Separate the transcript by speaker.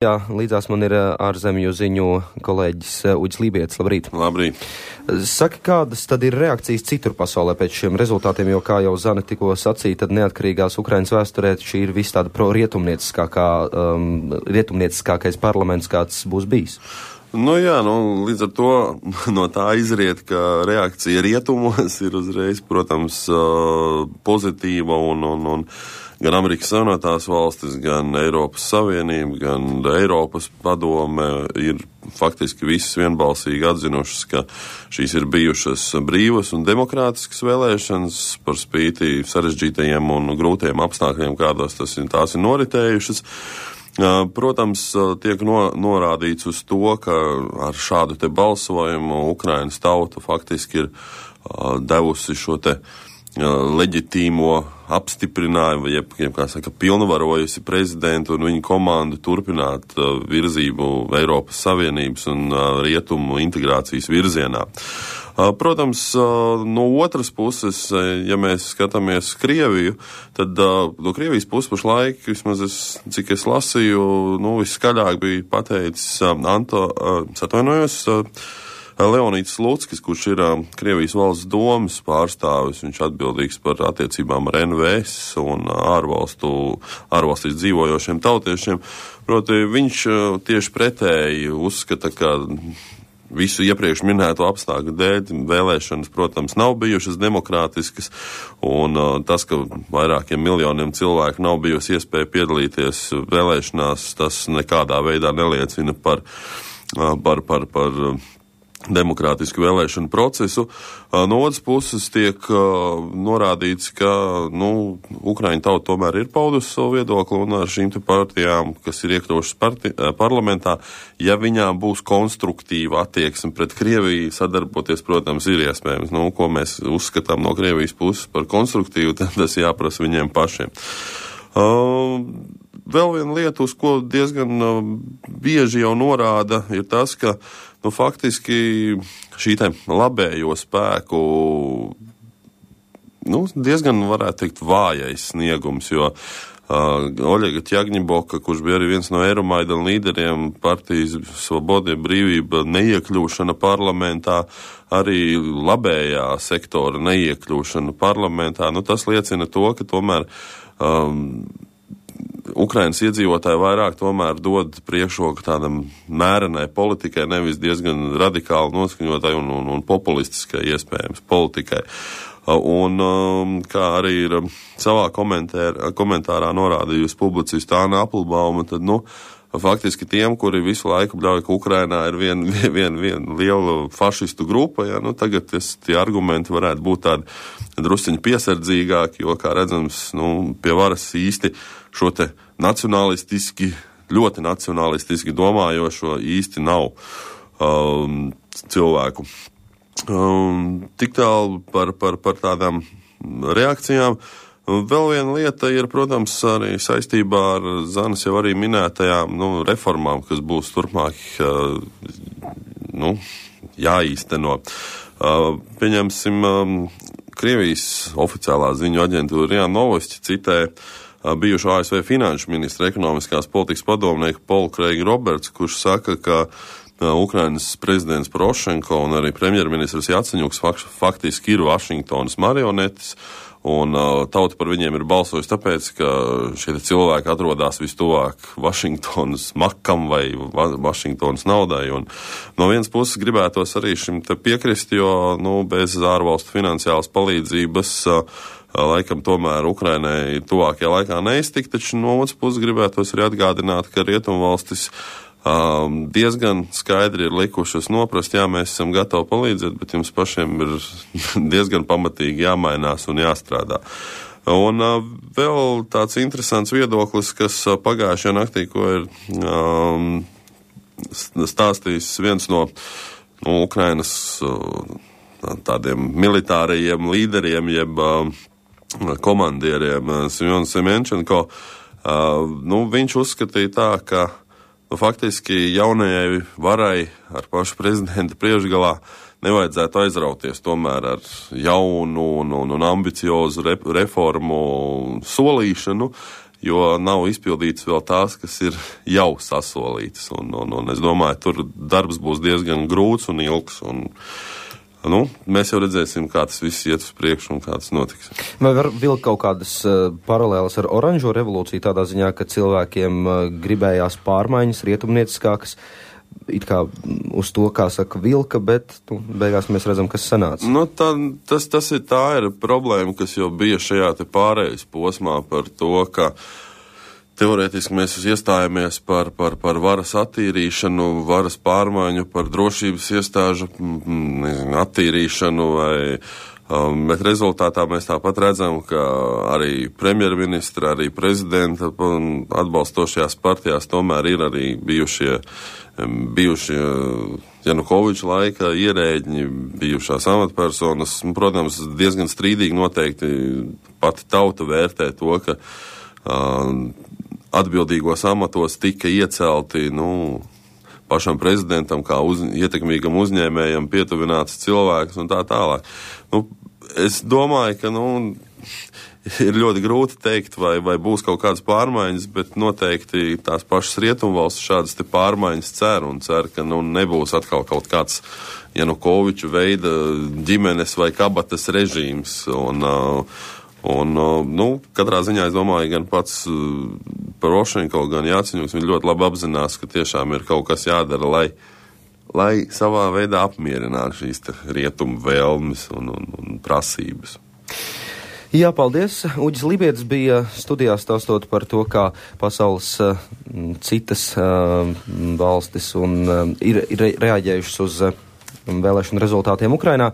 Speaker 1: Jā, līdzās man ir ārzemju ziņu kolēģis Uģis Lībietis. Labrīt.
Speaker 2: Labrīt.
Speaker 1: Saki, kādas tad ir reakcijas citur pasaulē pēc šiem rezultātiem, jo, kā jau Zane tikko sacīja, tad neatkarīgās Ukrainas vēsturē šī ir viss tāda rietumnieciskākais parlaments, kāds būs bijis.
Speaker 2: Līdz ar to no tā izriet, ka reakcija rietumos ir uzreiz, protams, pozitīva un gan Amerikas Savienotās valstis, gan Eiropas Savienība, gan Eiropas padome ir faktiski visas vienbalsīgi atzinušas, ka šīs ir bijušas brīvas un demokrātiskas vēlēšanas par spīti sarežģītajiem un grūtajiem apstākļiem, kādos tās ir noritējušas. Protams, tiek norādīts uz to, ka ar šādu te balsojumu Ukrainas tauta faktiski ir devusi šo te leģitīmo apstiprinājumu, pilnvarojusi prezidentu un viņa komandu turpināt virzību Eiropas Savienības un rietumu integrācijas virzienā. Protams, no otras puses, ja mēs skatāmies Krieviju, tad no Krievijas puses pašlaik, vismaz cik es lasīju, viskaļāk bija pateicis Leonīds Slutskis, kurš ir Krievijas valsts domas pārstāvis, viņš atbildīgs par attiecībām ar NVS un ārvalstīs dzīvojošiem tautiešiem. Proti, viņš tieši pretēji uzskata, ka visu iepriekš minēto apstākļu dēļ vēlēšanas, protams, nav bijušas demokrātiskas, un tas, ka vairākiem miljoniem cilvēku nav bijusi iespēja piedalīties vēlēšanās, tas nekādā veidā neliecina par demokrātisku vēlēšanu procesu. No otras puses tiek norādīts, ka Ukraiņu tauta tomēr ir paudusi savu viedokli, un ar šīm te partijām, kas ir iekļaušas parlamentā, ja viņām būs konstruktīva attieksme pret Krieviju, sadarboties, protams, ir iespējams. Ko mēs uzskatām no Krievijas puses par konstruktīvu, tad tas jāprasa viņiem pašiem. Vēl viena lieta, uz ko diezgan bieži jau norāda, ir tas, ka faktiski šī te labējo spēku diezgan, varētu teikt, vājais sniegums, jo Oļega Tjagņiboka, kurš bija arī viens no Eiromaidana līderiem, partijas Svoboda brīvība neiekļūšana parlamentā, arī labējā sektora neiekļūšana parlamentā, tas liecina to, ka tomēr Ukrainas iedzīvotāji vairāk tomēr dod priekšroku tādam mērenai politikai, nevis diezgan radikāli noskaņotai un populistiskai iespējams politikai. Un kā arī ir savā komentārā norādījusi publicista Anna Applebauma, tad, faktiski tiem, kuri visu laiku bļauj, ka Ukrainā ir viena liela fašistu grupa, tagad tie argumenti varētu būt tādi drusciņi piesardzīgāki, jo, kā redzams, pie varas īsti šo te ļoti nacionalistiski domājošo īsti nav cilvēku. Tik tālu par tādām reakcijām. Vēl viena lieta ir, protams, arī saistībā ar Zanes jau arī minētajām reformām, kas būs turpmāk jāīsteno. Pieņemsim, Krievijas oficiālā ziņu aģentūra RIA Novosti citē bijušo ASV finanšu ministra ekonomiskās politikas padomnieku Polu Kreigu Roberts, kurš saka, ka Ukrainas prezidents Porošenko un arī premjerministrs Jaceņuks faktiski ir Vašingtonas marionetes, un tauta par viņiem ir balsojusi tāpēc, ka šie cilvēki atrodas vistuvāk Vašingtonas makam vai Vašingtonas naudai, un no vienas puses gribētos arī šim te piekrist, jo, bez ārvalstu finansiālas palīdzības laikam tomēr Ukrainai tuvākajā laikā neiztikt, taču no otras puses gribētos arī atgādināt, ka rietumvalstis diezgan skaidri ir likušas noprast, mēs esam gatavi palīdzēt, bet jums pašiem ir diezgan pamatīgi jāmainās un jāstrādā. Un vēl tāds interesants viedoklis, kas pagājušajā naktī, ko ir stāstījis viens no Ukrainas tādiem militārajiem līderiem, jeb komandieriem, Semjons Semenčenko, viņš uzskatīja tā, ka faktiski jaunajai varai ar pašu prezidenta priekšgalā nevajadzētu aizrauties tomēr ar jaunu un ambiciozu reformu solīšanu, jo nav izpildītas vēl tās, kas ir jau sasolītas. Un es domāju, tur darbs būs diezgan grūts un ilgs. Mēs jau redzēsim, kā tas viss iet uz priekšu un kā tas notiks.
Speaker 1: Vai var vilkt kaut kādas paralēlas ar oranžo revolūciju tādā ziņā, ka cilvēkiem gribējās pārmaiņas, rietumnieciskākas, it kā uz to, kā saka, vilka, bet beigās mēs redzam, kas sanāca.
Speaker 2: Tā ir problēma, kas jau bija šajā te pārejas posmā par to, ka teorētiski mēs iestājāmies par varas attīrīšanu, varas pārmaiņu, par drošības iestāžu attīrīšanu, bet rezultātā mēs tāpat redzam, ka arī premjerministra, arī prezidenta atbalstošajās partijās tomēr ir arī bijušie Janukoviča laika ierēģi, bijušās amatpersonas. Protams, diezgan strīdīgi noteikti pati tauta vērtē to, ka atbildīgos amatos tika iecelti, pašam prezidentam kā ietekmīgam uzņēmējam pietuvināts cilvēks un tā tālāk. Es domāju, ka, ir ļoti grūti teikt, vai būs kaut kādas pārmaiņas, bet noteikti tās pašas rietumvalstis šādas te pārmaiņas cer, ka nebūs atkal kaut kāds Janukoviču veida ģimenes vai kabatas režīms. Katrā ziņā es domāju, gan pats Porošenko, gan Jaceņuks, viņi ļoti labi apzinās, ka tiešām ir kaut kas jādara, lai savā veidā apmierinātu šīs rietumu vēlmes un prasības.
Speaker 1: Jā, paldies. Uģis Libietis bija studijā stāstot par to, kā pasaules citas valstis ir reaģējušas uz vēlēšanu rezultātiem Ukrainā.